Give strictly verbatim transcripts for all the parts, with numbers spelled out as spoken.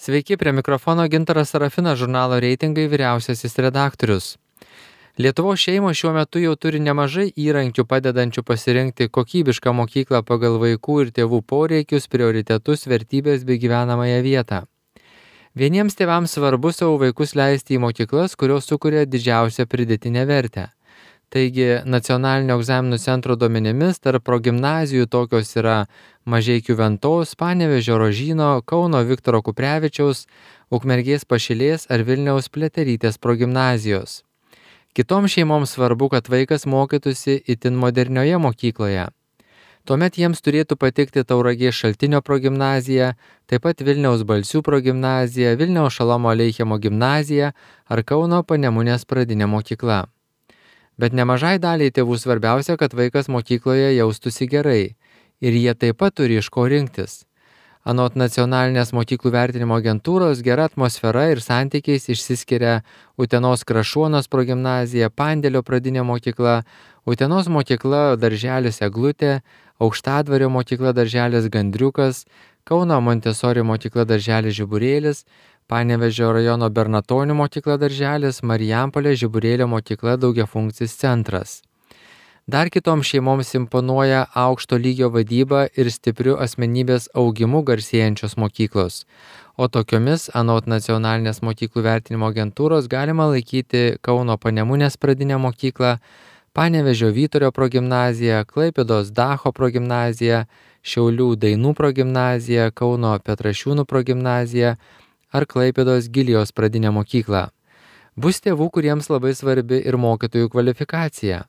Sveiki, prie mikrofono Gintaras Sarafinas, žurnalo Reitingai vyriausiasis redaktorius. Lietuvos šeimos šiuo metu jau turi nemažai įrankių padedančių pasirinkti kokybišką mokyklą pagal vaikų ir tėvų poreikius, prioritetus, vertybės bei gyvenamąją vietą. Vieniems tėvams svarbu savo vaikus leisti į mokyklas, kurios sukuria didžiausią pridėtinę vertę. Taigi, nacionalinio egzaminų centro duomenimis tarp progimnazijų tokios yra Mažeikių Ventos, Panevėžio Rožyno, Kauno Viktoro Kuprevičiaus, Ukmergės Pašilės ar Vilniaus Pliaterytės progimnazijos. Kitoms šeimoms svarbu, kad vaikas mokytųsi itin modernioje mokykloje. Tuomet jiems turėtų patikti Tauragės Šaltinio progimnazija, taip pat Vilniaus Balsių progimnazija, Vilniaus Šolomo Aleichemo gimnazija ar Kauno Panemunės pradinė mokykla. Bet nemažai daliai tėvų svarbiausia, kad vaikas mokykloje jaustųsi gerai ir jie taip pat turi iš ko rinktis. Anot nacionalinės mokyklų vertinimo agentūros, gera atmosfera ir santykiais išsiskiria Utenos Krašuonos progimnazija, Pandėlio pradinė mokykla, Utenos mokykla darželis Eglutė, Aukštadvario mokykla darželis Gandriukas, Kauno Montesori mokykla darželis Žiburėlis, Panevėžio rajono Bernatonių mokykla darželis, Marijampolės Žiburėlio mokykla daugiafunkcis centras. Dar kitoms šeimoms imponuoja aukšto lygio vadyba ir stipriu asmenybės augimu garsėjančios mokyklos. O tokiomis, anot nacionalinės mokyklų vertinimo agentūros, galima laikyti Kauno Panemunės pradinę mokyklą, Panevėžio Vyturio progimnaziją, Klaipėdos Dacho progimnaziją, Šiaulių Dainų progimnaziją, Kauno Petrašiūnų progimnaziją ar Klaipėdos Gilijos pradinę mokyklą. Bus tėvų, kuriems labai svarbi ir mokytojų kvalifikacija.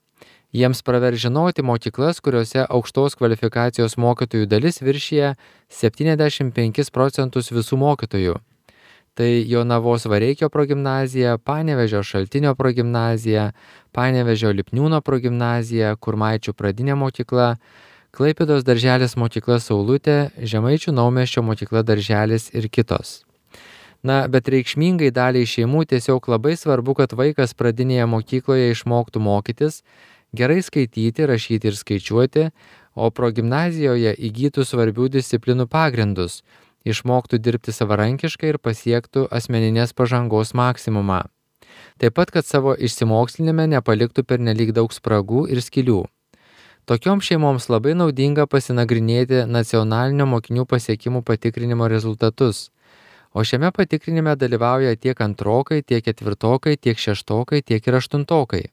Jiems pravers žinoti mokyklas, kuriuose aukštos kvalifikacijos mokytojų dalis viršija septyniasdešimt penkis procentus visų mokytojų. Tai Jonavos Vareikio progimnazija, Panevėžio Šaltinio progimnazija, Panevėžio Lipniūno progimnazija, Kurmaičių pradinė mokykla, Klaipėdos darželis mokykla Saulutė, Žemaičių Naumiesčio mokykla darželis ir kitos. Na, bet reikšmingai daliai šeimų tiesiog labai svarbu, kad vaikas pradinėje mokykloje išmoktų mokytis, gerai skaityti, rašyti ir skaičiuoti, o progimnazijoje įgytų svarbių disciplinų pagrindus, išmoktų dirbti savarankiškai ir pasiektų asmeninės pažangos maksimumą. Taip pat, kad savo išsimokslinime nepaliktų pernelyg daug spragų ir skylių. Tokioms šeimoms labai naudinga pasinagrinėti nacionalinio mokinių pasiekimų patikrinimo rezultatus. O šiame patikrinime dalyvauja tiek antrokai, tiek ketvirtokai, tiek šeštokai, tiek ir aštuntokai.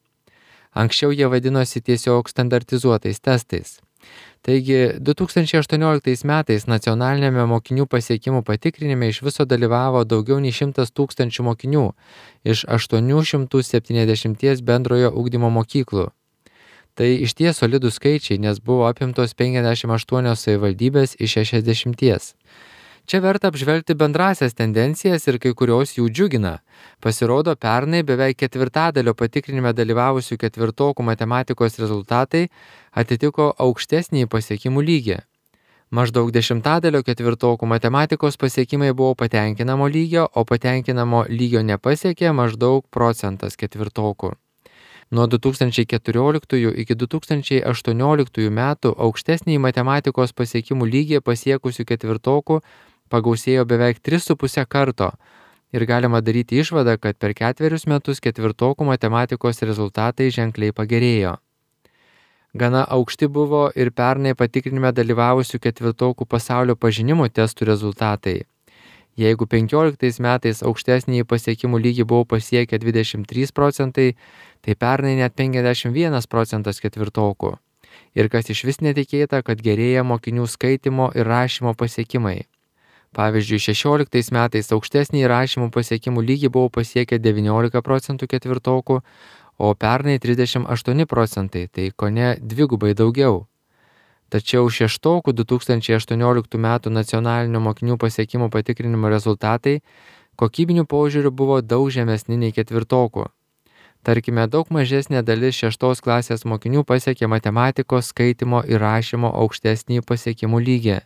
Anksčiau jie vadinosi tiesiog standartizuotais testais. Taigi, du tūkstančiai aštuonioliktais metais nacionalinėme mokinių pasiekimų patikrinime iš viso dalyvavo daugiau nei šimtas tūkstančių mokinių iš aštuonių šimtų septyniasdešimties bendrojo ugdymo mokyklų. Tai išties solidūs skaičiai, nes buvo apimtos penkiasdešimt aštuonios savivaldybės iš šešiasdešimties. Čia verta apžvelgti bendrasias tendencijas ir kai kurios jų džiugina. Pasirodo, pernai beveik ketvirtadalio patikrinime dalyvavusių ketvirtokų matematikos rezultatai atitiko aukštesnį pasiekimų lygį. Maždaug dešimtadalio ketvirtokų matematikos pasiekimai buvo patenkinamo lygio, o patenkinamo lygio nepasiekė maždaug procentas ketvirtokų. Nuo du tūkstančiai keturioliktųjų iki du tūkstančiai aštuonioliktųjų metų aukštesnį matematikos pasiekimų lygį pasiekusių ketvirtokų pagausėjo beveik tris su puse karto ir galima daryti išvadą, kad per ketverius metus ketvirtokų matematikos rezultatai ženkliai pagerėjo. Gana aukšti buvo ir pernai patikrinime dalyvavusių ketvirtokų pasaulio pažinimo testų rezultatai. Jeigu penkioliktais metais aukštesnį pasiekimų lygį buvo pasiekę dvidešimt trys procentai, tai pernai net penkiasdešimt vienas procentas ketvirtokų. Ir kas išvis netikėta, kad gerėja mokinių skaitimo ir rašymo pasiekimai. Pavyzdžiui, šešioliktais metais aukštesnį rašymo pasiekimų lygį buvo pasiekę devyniolika procentų ketvirtokų, o pernai trisdešimt aštuoni procentai, tai kone dvigubai daugiau. Tačiau šeštokų du tūkstančiai aštuonioliktų metų nacionalinio mokinių pasiekimų patikrinimo rezultatai kokybinių požiūrių buvo daug žemesni nei ketvirtokų. Tarkime, daug mažesnė dalis šeštos klasės mokinių pasiekė matematikos, skaitimo ir rašymo aukštesnį pasiekimų lygį.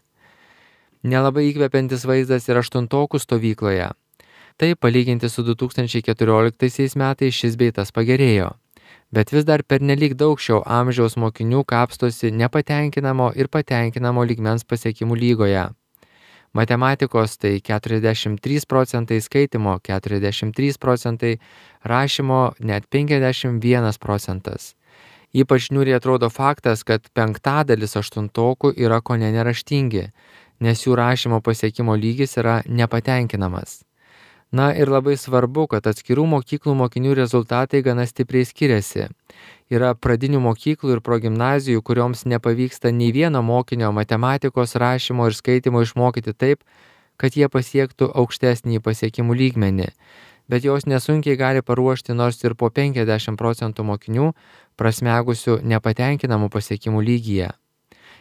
Nelabai įkvepiantis vaizdas ir aštuntokų stovykloje. Tai palyginti su du tūkstančiai keturioliktaisiais metais šis bei tas pagerėjo. Bet vis dar pernelyg daug šio amžiaus mokinių kapstosi nepatenkinamo ir patenkinamo lygmens pasiekimų lygoje. Matematikos tai keturiasdešimt trys procentai, skaitymo keturiasdešimt trys procentai, rašymo net penkiasdešimt vienas procentas. Ypač niūriai atrodo faktas, kad penktadalis aštuntokų yra kone neraštingi, nes jų rašymo pasiekimo lygis yra nepatenkinamas. Na ir labai svarbu, kad atskirų mokyklų mokinių rezultatai gana stipriai skiriasi. Yra pradinių mokyklų ir progimnazijų, kurioms nepavyksta nei vieno mokinio matematikos, rašymo ir skaitimo išmokyti taip, kad jie pasiektų aukštesnį pasiekimų lygmenį, bet jos nesunkiai gali paruošti nors ir po penkiasdešimt procentų mokinių prasmegusių nepatenkinamų pasiekimų lygyje.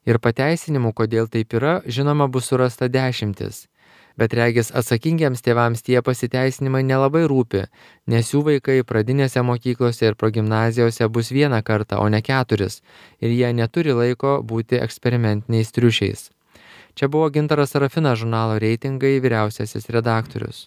Ir pateisinimų, kodėl taip yra, žinoma, bus surasta dešimtis. Bet regis atsakingiems tėvams tie pasiteisinimai nelabai rūpi, nes jų vaikai pradinėse mokyklose ir progimnazijose bus vieną kartą, o ne keturis, ir jie neturi laiko būti eksperimentiniais triušiais. Čia buvo Gintaras Sarafinas, žurnalo Reitingai vyriausiasis redaktorius.